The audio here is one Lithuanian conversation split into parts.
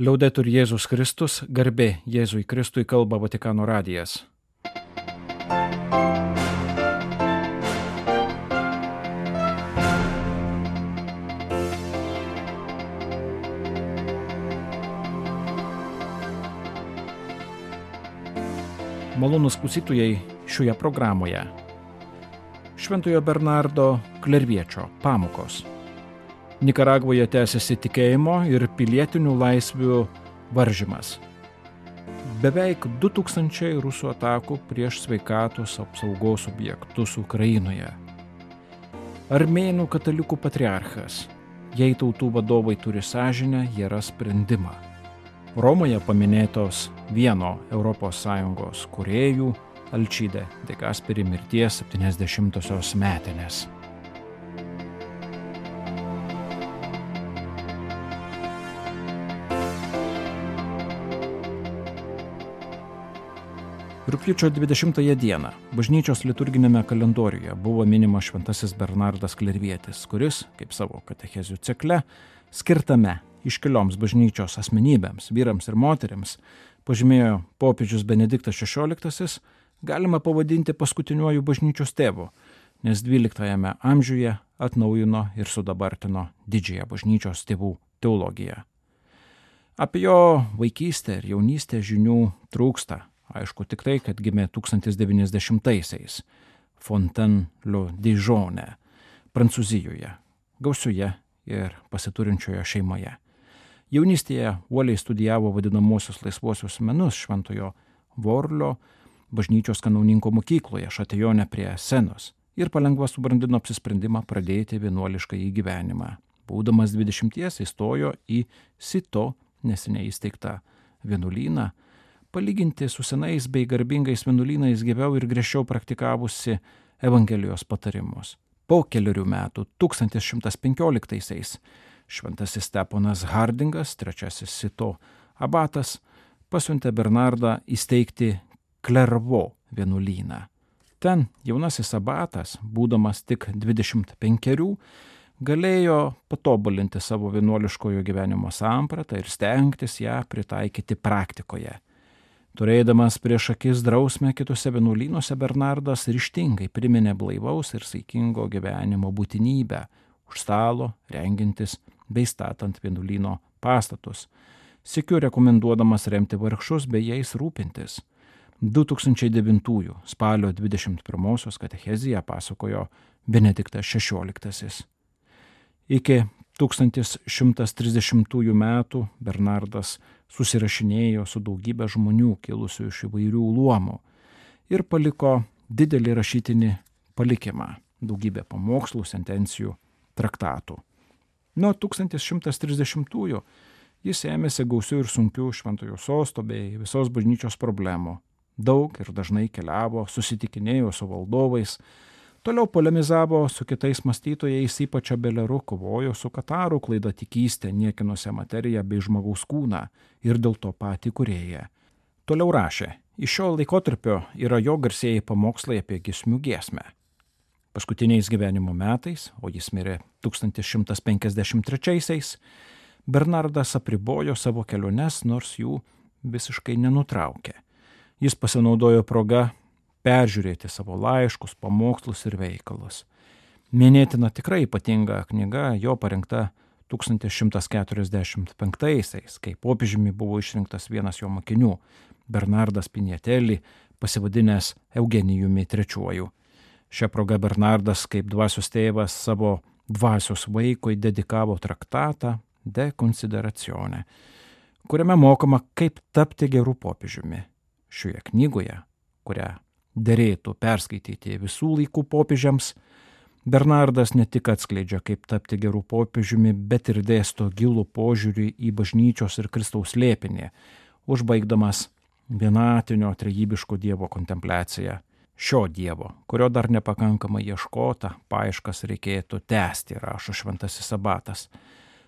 Liaudetur Jėzus Kristus, garbė Jėzui Kristui, kalba Vatikano radijas. Malonūs klausytojai šioje programoje. Šventojo Bernardo Klerviečio pamokos. Nikaragvoje tęsiasi tikėjimo ir pilietinių laisvių varžymas. Beveik 2000 rusų atakų prieš sveikatos apsaugos objektus Ukrainoje. Armėnų katalikų patriarchas. Jei tautų vadovai turi sąžinę, jie ras sprendimą. Romoje paminėtos vieno ES kūrėjų Alčide de Gasperi mirties 70-osios metinės. Rugpjūčio 20 dieną bažnyčios liturginėme kalendoriuje buvo minimas šventasis Bernardas Klervietis, kuris, kaip savo katechezių cikle, skirtame iškilioms bažnyčios asmenybėms, vyrams ir moterims, pažymėjo popiežius Benediktas XVI, galima pavadinti paskutiniuoju bažnyčios tėvu, nes 12 amžiuje atnaujino ir sudabartino didžiąją bažnyčios tėvų teologiją. Apie jo vaikystę ir jaunystę žinių trūksta. Aišku tik tai, kad gimė 1090-aisiais Fontainebleau-Dijone, Prancūzijoje, gausioje ir pasiturinčioje šeimoje. Jaunystėje uoliai studijavo vadinamosius laisvuosius menus Šventojo Vorlio bažnyčios kanauninko mokykloje Šatijone prie Senos ir palengva subrandino apsisprendimą pradėti vienuoliškąjį gyvenimą. Būdamas 20 įstojo į Sito neseniai įsteigtą vienuolyną, palyginti su senais bei garbingais vienuolynais gyviau ir griežčiau praktikavusi Evangelijos patarimus. Po kelerių metų, 1115-aisiais, šventasis Steponas Hardingas, trečiasis Sito abatas, pasiuntė Bernardą įsteigti Klervo vienuolyną. Ten jaunasis abatas, būdamas tik 25, galėjo patobulinti savo vienuoliškojo gyvenimo sampratą ir stengtis ją pritaikyti praktikoje. Turėdamas prieš akis drausmę kitose vienuolynuose, Bernardas ryžtingai priminė blaivaus ir saikingo gyvenimo būtinybę už stalo, rengintis bei statant vienuolyno pastatus, sykiu rekomenduodamas remti vargšus bei jais rūpintis. 2009 spalio 21 katecheziją pasakojo Benediktas XVI. Iki 1130 metų Bernardas susirašinėjo su daugybė žmonių kilusių iš įvairių luomų ir paliko didelį rašytinį palikimą, daugybę pamokslų, sentencijų, traktatų. Nuo 1130 jis ėmėsi gausių ir sunkių šventojo sosto bei visos bažnyčios problemų. Daug ir dažnai keliavo, susitikinėjo su valdovais, toliau polemizavo su kitais mąstytojais, ypač Abeleru, kovojo su katarų klaidatikystė, niekinusią materiją bei žmogaus kūną ir dėl to patį kūrėją. Toliau rašė, iš šio laikotarpio yra jo garsieji pamokslai apie giesmių giesmę. Paskutiniais gyvenimo metais, o jis mirė 1153-aisiais, Bernardas apribojo savo keliones, nors jų visiškai nenutraukė. Jis pasinaudojo proga peržiūrėti savo laiškus, pamokslus ir veikalus. Minėtina tikrai ypatinga knyga, jo parengta 1145-aisiais, kai popiežiumi buvo išrinktas vienas jo mokinių, Bernardas Piniatelli, pasivadinęs Eugenijumi III. Šią progą Bernardas kaip dvasios tėvas savo dvasios vaikui dedikavo traktatą De Considerazione, kuriame mokoma, kaip tapti geru popiežiumi. Šioje knygoje, kurią derėtų perskaityti visų laikų popiežiams, Bernardas ne tik atskleidžia, kaip tapti gerų popiežiumi, bet ir dėsto gilų požiūrį į bažnyčios ir Kristaus slėpinį, užbaigdamas vienatinio trejybiško Dievo kontempliaciją. Šio Dievo, kurio dar nepakankamai ieškota, paieškas reikėtų tęsti, rašo šventasis abatas.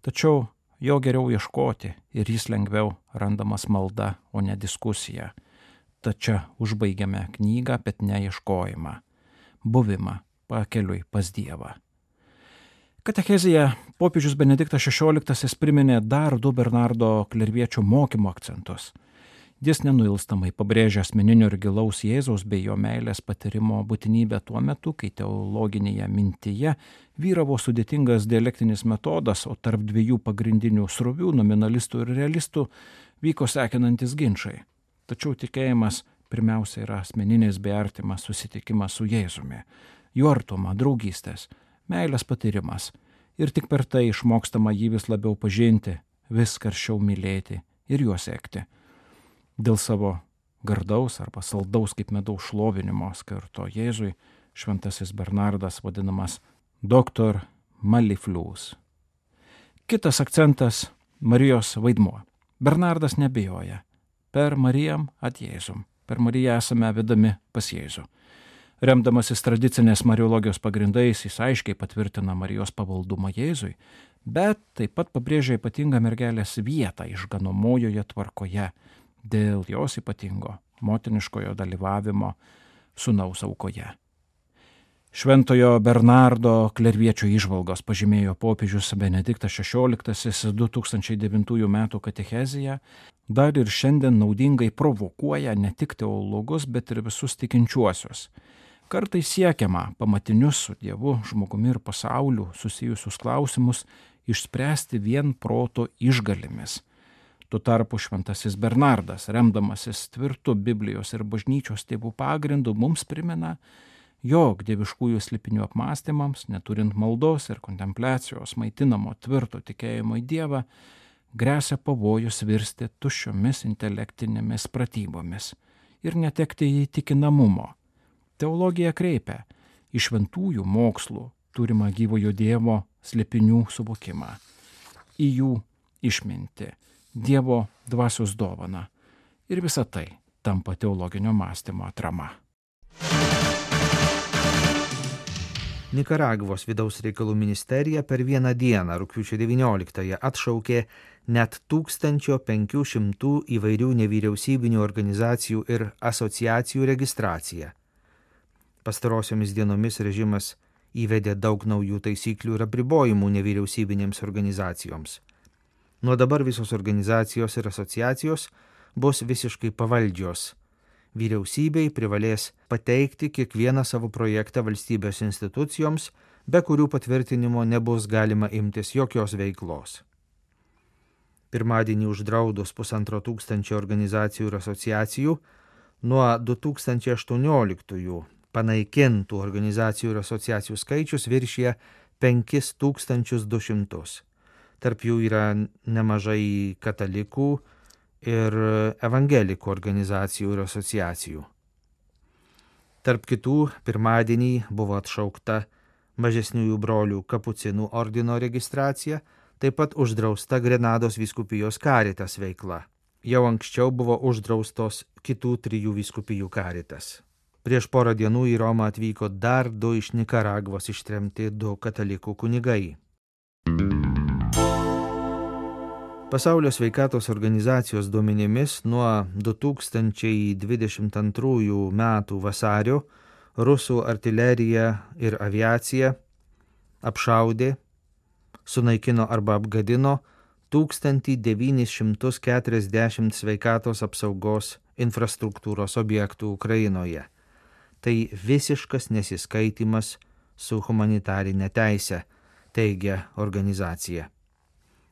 Tačiau jo geriau ieškoti ir jis lengviau randamas malda, o ne diskusija. Tačiau užbaigiame knygą, bet ne ieškojimą, buvimą pakeliui pas Dievą. Katechezėje popiežius Benediktas XVI priminė dar 2 Bernardo Klerviečio mokymo akcentus. Jis nenuilstamai pabrėžia asmeninio ir gilaus Jėzaus bei jo meilės patyrimo būtinybę tuo metu, kai teologinėje mintyje vyravo sudėtingas dialektinis metodas, o tarp 2 pagrindinių srovių, nominalistų ir realistų, vyko sekinantis ginčai. Tačiau tikėjimas pirmiausia yra asmeninis bei artimas susitikimas su Jėzumi, jo artuma, draugystės, meilės patyrimas ir tik per tai išmokstama jį vis labiau pažinti, vis karščiau mylėti ir juo sekti. Dėl savo gardaus arba saldaus kaip medaus šlovinimo skirto Jėzui šventasis Bernardas vadinamas Dr. Maliflius. Kitas akcentas – Marijos vaidmuo. Bernardas nebijoja. Per Marijam at Jėzum. Per Mariją esame vedami pas Jėzų. Remdamasis tradicinės mariologijos pagrindais, jis aiškiai patvirtina Marijos pavaldumą Jėzui, bet taip pat pabrėžia ypatingą mergelės vietą išganomojoje tvarkoje dėl jos ypatingo motiniškojo dalyvavimo sūnaus aukoje. Šventojo Bernardo Klerviečio įžvalgos pažymėjo popiežius Benediktas XVI 2009 m. katechezėje, dar ir šiandien naudingai provokuoja ne tik teologus, bet ir visus tikinčiuosius. Kartais siekiama pamatinius su Dievu, žmogumi ir pasauliu susijusius klausimus išspręsti vien proto išgalimis. Tuo tarpu šventasis Bernardas, remdamasis tvirtu Biblijos ir bažnyčios tėvų pagrindu, mums primena, jog dieviškųjų slėpinių apmąstymams, neturint maldos ir kontempliacijos maitinamo tvirto tikėjimo į Dievą, gresia pavojus virsti tuščiomis intelektinėmis pratybomis ir netekti įtikinamumo. Teologija kreipia į šventųjų mokslų turimą gyvojo Dievo slėpinių suvokimą, į jų išmintį, Dievo dvasios dovana ir visa tai tampa teologinio mąstymo atrama. Nikaragvos vidaus reikalų ministerija per vieną dieną, rugpjūčio 19-ąją, atšaukė net 1500 įvairių nevyriausybinių organizacijų ir asociacijų registraciją. Pastarosiomis dienomis režimas įvedė daug naujų taisyklių ir apribojimų nevyriausybinėms organizacijoms. Nuo dabar visos organizacijos ir asociacijos bus visiškai pavaldžios. Vyriausybei privalės pateikti kiekvieną savo projektą valstybės institucijoms, be kurių patvirtinimo nebus galima imtis jokios veiklos. Pirmadienį uždraudus 1500 organizacijų ir asociacijų, nuo 2018 panaikintų organizacijų ir asociacijų skaičius viršija 5200. Tarp jų yra nemažai katalikų ir evangelikų organizacijų ir asociacijų. Tarp kitų, pirmadienį buvo atšaukta mažesniųjų brolių kapucinų ordino registracija, taip pat uždrausta Grenados vyskupijos Caritas veikla. Jau anksčiau buvo uždraustos kitų 3 vyskupijų Caritas. Prieš porą dienų į Romą atvyko dar 2 iš Nikaragvos ištremti 2 katalikų kunigai. Pasaulio sveikatos organizacijos duomenimis nuo 2022 metų vasario rusų artilerija ir aviacija apšaudė, sunaikino arba apgadino 1940 sveikatos apsaugos infrastruktūros objektų Ukrainoje. Tai visiškas nesiskaitimas su humanitarinė teise, teigia organizacija.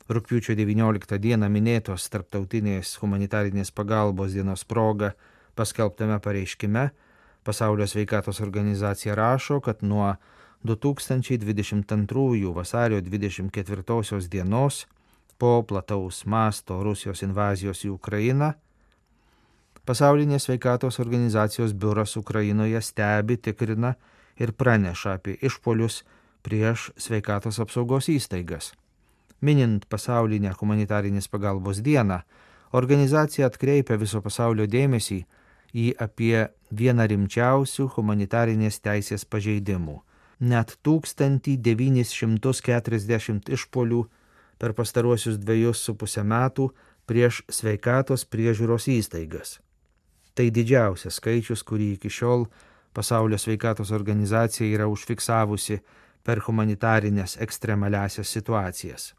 Rugpjūčio 19 dieną minėtos tarptautinės humanitarinės pagalbos dienos proga paskelbtame pareiškime Pasaulio sveikatos organizacija rašo, kad nuo 2022 vasario 24 dienos po plataus masto Rusijos invazijos į Ukrainą Pasaulinės sveikatos organizacijos biuras Ukrainoje stebi, tikrina ir praneša apie išpuolius prieš sveikatos apsaugos įstaigas. Minint pasaulinę humanitarinės pagalbos dieną, organizacija atkreipia viso pasaulio dėmesį į apie vieną rimčiausių humanitarinės teisės pažeidimų. Net 1940 išpuolių per pastaruosius 2,5 metų prieš sveikatos priežiūros įstaigas. Tai didžiausias skaičius, kurį iki šiol Pasaulio sveikatos organizacija yra užfiksavusi per humanitarinės ekstremaliasias situacijas.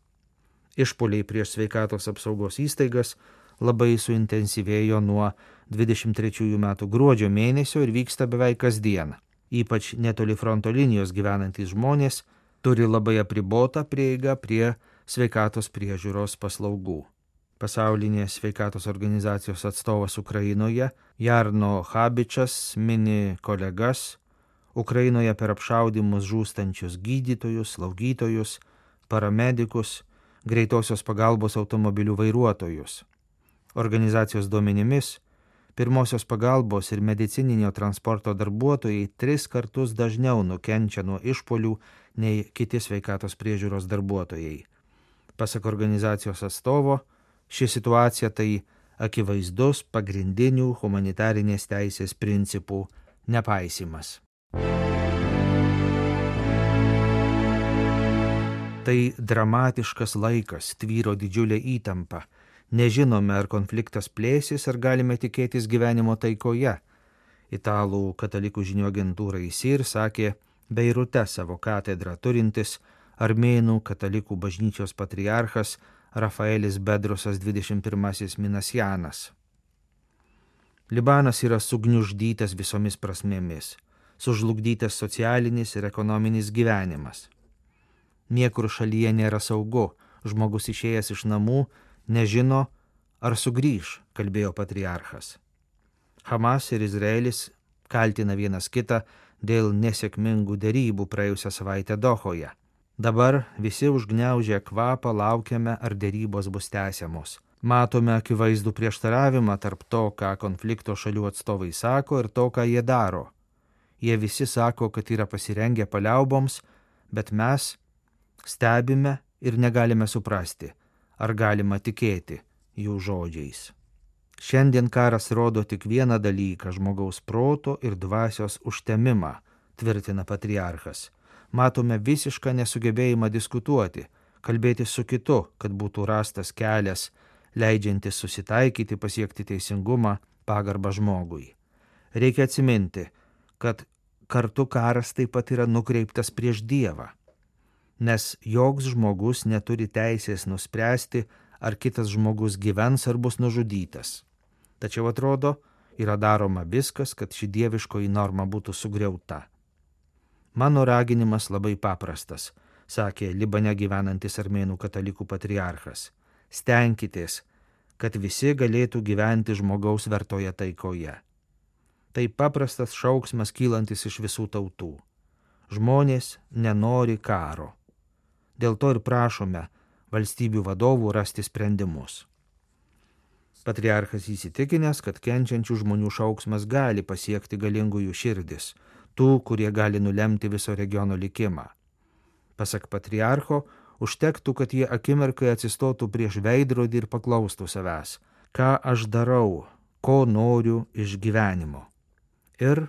Išpuoliai prieš sveikatos apsaugos įstaigas labai suintensyvėjo nuo 23 metų gruodžio mėnesio ir vyksta beveik kasdien. Ypač netoli fronto linijos gyvenantys žmonės turi labai apribotą prieigą prie sveikatos priežiūros paslaugų. Pasaulinės sveikatos organizacijos atstovas Ukrainoje Jarno Habičas mini kolegas Ukrainoje per apšaudymus žūstančius gydytojus, slaugytojus, paramedikus, greitosios pagalbos automobilių vairuotojus. Organizacijos duomenimis, pirmosios pagalbos ir medicininio transporto darbuotojai 3 kartus dažniau nukenčia nuo išpuolių nei kiti sveikatos priežiūros darbuotojai. Pasak organizacijos atstovo, ši situacija tai akivaizdus pagrindinių humanitarinės teisės principų nepaisimas. Tai dramatiškas laikas, tvyro didžiulė įtampa. Nežinome, ar konfliktas plėsis, ar galime tikėtis gyvenimo taikoje. Italų katalikų žinių agentūrai SIR sakė Beirute savo katedrą turintis armėnų katalikų bažnyčios patriarchas Rafaelis Bedrosas 21 Minasjanas. Libanas yra sugniuždytas visomis prasmėmis, sužlugdytas socialinis ir ekonominis gyvenimas. Niekur šalyje nėra saugu, žmogus išėjęs iš namų nežino, ar sugrįš, kalbėjo patriarchas. Hamas ir Izraelis kaltina vienas kitą dėl nesėkmingų derybų praėjusią savaitę Dohoje. Dabar visi užgniaužę kvapą laukiame, ar derybos bus tęsiamos. Matome akivaizdų prieštaravimą tarp to, ką konflikto šalių atstovai sako, ir to, ką jie daro. Jie visi sako, kad yra pasirengę paliauboms, bet mes stebime ir negalime suprasti, ar galima tikėti jų žodžiais. Šiandien karas rodo tik vieną dalyką – žmogaus proto ir dvasios užtemimą, tvirtina patriarchas. Matome visišką nesugebėjimą diskutuoti, kalbėti su kitu, kad būtų rastas kelias, leidžiantis susitaikyti, pasiekti teisingumą, pagarbą žmogui. Reikia atsiminti, kad kartu karas taip pat yra nukreiptas prieš Dievą, nes joks žmogus neturi teisės nuspręsti, ar kitas žmogus gyvens ar bus nužudytas. Tačiau atrodo, yra daroma viskas, kad ši dieviškoji norma būtų sugriauta. Mano raginimas labai paprastas, sakė Libane gyvenantis armėnų katalikų patriarchas. Stenkitės, kad visi galėtų gyventi žmogaus vertoje taikoje. Tai paprastas šauksmas kylantis iš visų tautų. Žmonės nenori karo. Dėl to ir prašome valstybių vadovų rasti sprendimus. Patriarchas įsitikinęs, kad kenčiančių žmonių šauksmas gali pasiekti galingųjų širdis, tų, kurie gali nulemti viso regiono likimą. Pasak patriarcho, užtektų, kad jie akimirkai atsistotų prieš veidrodį ir paklaustų savęs, ką aš darau, ko noriu iš gyvenimo. Ir,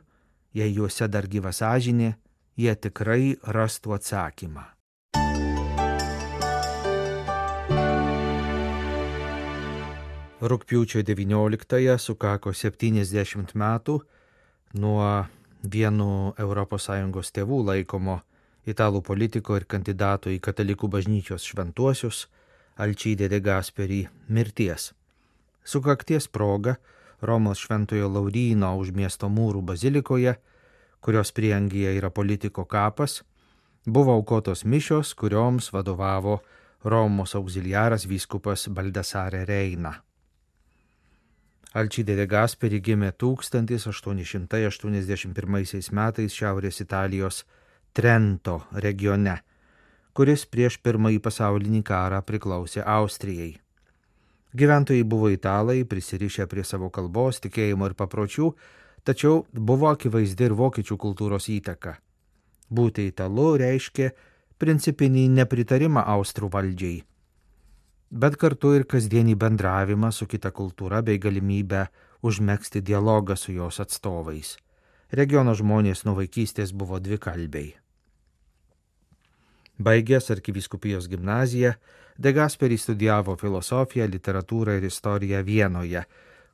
jei juose dar gyva sąžinė, jie tikrai rastų atsakymą. Rugpjūčio 19-ąją sukako 70 metų nuo vienu ES tėvų laikomo italų politiko ir kandidato į katalikų bažnyčios šventuosius Alcide de Gasperi mirties. Sukakties proga Romos Šventojo Lauryno už miesto mūrų bazilikoje, kurios prieangyje yra politiko kapas, buvo aukotos mišios, kurioms vadovavo Romos auxiliaras vyskupas Baldassare Reina. Alcide de Gasperi gimė 1881 metais Šiaurės Italijos Trento regione, kuris prieš Pirmąjį pasaulinį karą priklausė Austrijai. Gyventojai buvo italai, prisirišę prie savo kalbos, tikėjimo ir papročių, tačiau buvo akivaizdi ir vokiečių kultūros įtaka. Būti italu reiškia principinį nepritarimą austrų valdžiai, bet kartu ir kasdienį bendravimą su kita kultūra bei galimybę užmegzti dialogą su jos atstovais. Regiono žmonės nuo vaikystės buvo dvikalbiai. Baigęs arkivyskupijos gimnaziją, De Gasperi studijavo filosofiją, literatūrą ir istoriją Vienoje,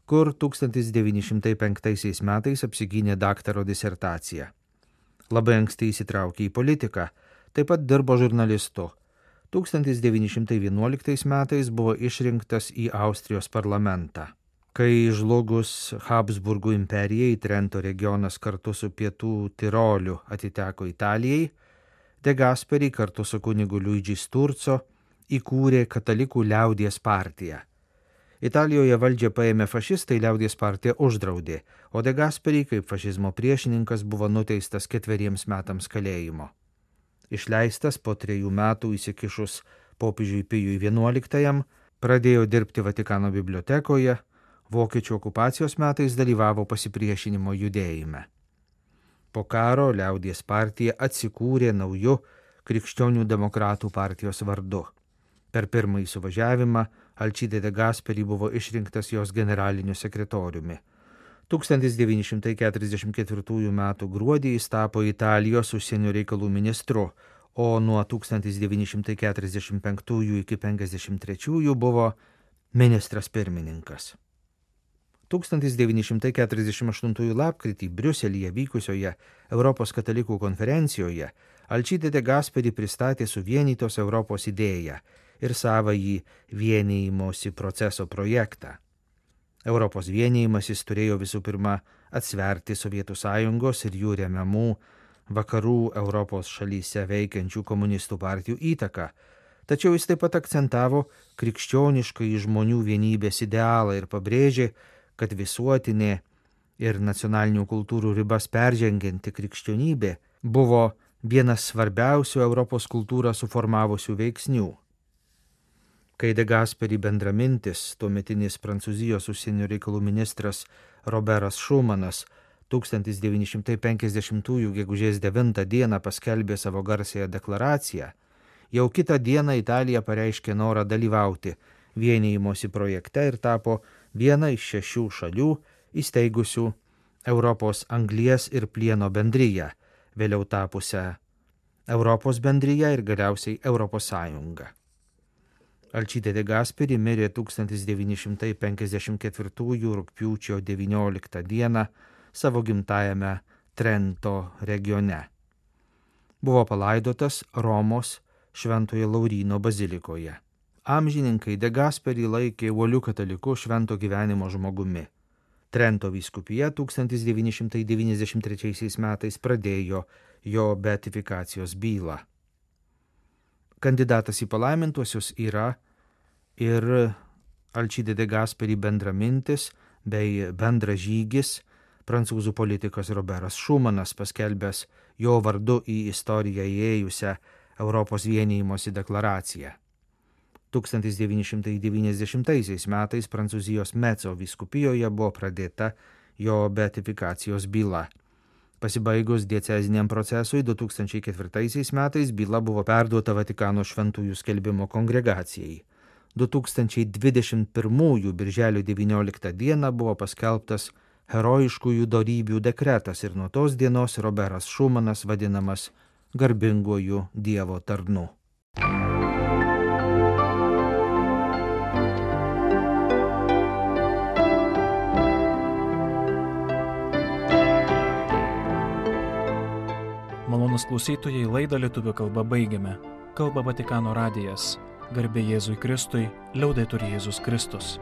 kur 1905 metais apsigynė daktaro disertaciją. Labai anksti įsitraukė į politiką, taip pat dirbo žurnalistu. 1911 metais buvo išrinktas į Austrijos parlamentą. Kai žlugus Habsburgų imperijai, Trento regionas kartu su Pietų Tiroliu atiteko Italijai, De Gasperi kartu su kunigu Luigi Sturzo įkūrė Katalikų liaudies partiją. Italijoje valdžią paėmė fašistai, liaudies partija uždraudė, o De Gasperi kaip fašizmo priešininkas buvo nuteistas 4 metams kalėjimo. Išleistas po 3 metų įsikišus popiežiui Pijui XI, pradėjo dirbti Vatikano bibliotekoje, vokiečių okupacijos metais dalyvavo pasipriešinimo judėjime. Po karo liaudies partija atsikūrė nauju Krikščionių demokratų partijos vardu. Per pirmąjį suvažiavimą Alcide De Gasperi buvo išrinktas jos generaliniu sekretoriumi. 1944 m. gruodį jis tapo Italijos užsienio reikalų ministru, o nuo 1945 iki 1953 buvo ministras pirmininkas. 1948 lapkritį Briuselyje vykusioje Europos katalikų konferencijoje Alcide De Gasperi pristatė suvienytos Europos idėją ir savąjį vienijimosi proceso projektą. Europos vienijimasis turėjo visų pirma atsverti Sovietų sąjungos ir jų remiamų vakarų Europos šalyse veikiančių komunistų partijų įtaką, tačiau jis taip pat akcentavo krikščioniškai žmonių vienybės idealą ir pabrėžė, kad visuotinė ir nacionalinių kultūrų ribas peržengianti krikščionybė buvo vienas svarbiausių Europos kultūrą suformavusių veiksnių. Kai De Gasperi bendramintis, tuometinis Prancūzijos užsienio reikalų ministras Roberas Šumanas 1950 gegužės 9 dieną paskelbė savo garsiąją deklaraciją, jau kitą dieną Italija pareiškė norą dalyvauti vienijimosi projekte ir tapo viena iš 6 šalių įsteigusių Europos anglies ir plieno bendriją, vėliau tapusią Europos bendriją ir galiausiai Europos Sąjungą. Alcide De Gasperi mirė 1954 rugpjūčio 19 dieną savo gimtajame Trento regione. Buvo palaidotas Romos Šventojo Lauryno bazilikoje. Amžininkai De Gasperi laikė uoliu kataliku švento gyvenimo žmogumi. Trento vyskupija 1993 metais pradėjo jo beatifikacijos bylą. Kandidatas į palaimintuosius yra ir Alcide De Gasperi bendramintis bei bendražygis prancūzų politikas Roberas Šumanas, paskelbęs jo vardu į istoriją įėjusią Europos vienijimosi deklaraciją. 1990 metais Prancūzijos Metso vyskupijoje buvo pradėta jo beatifikacijos byla. Pasibaigus dieceziniam procesui 2004 metais byla buvo perduota Vatikano šventųjų skelbimo kongregacijai. 2021 birželio 19 dieną buvo paskelbtas herojiškųjų dorybių dekretas ir nuo tos dienos Roberas Šumanas vadinamas garbinguoju Dievo tarnu. Malonūs klausytojai, laidą lietuvių kalba baigiame. Kalba Vatikano radijas. Garbė Jėzui Kristui, liaudetur Jėzus Kristus.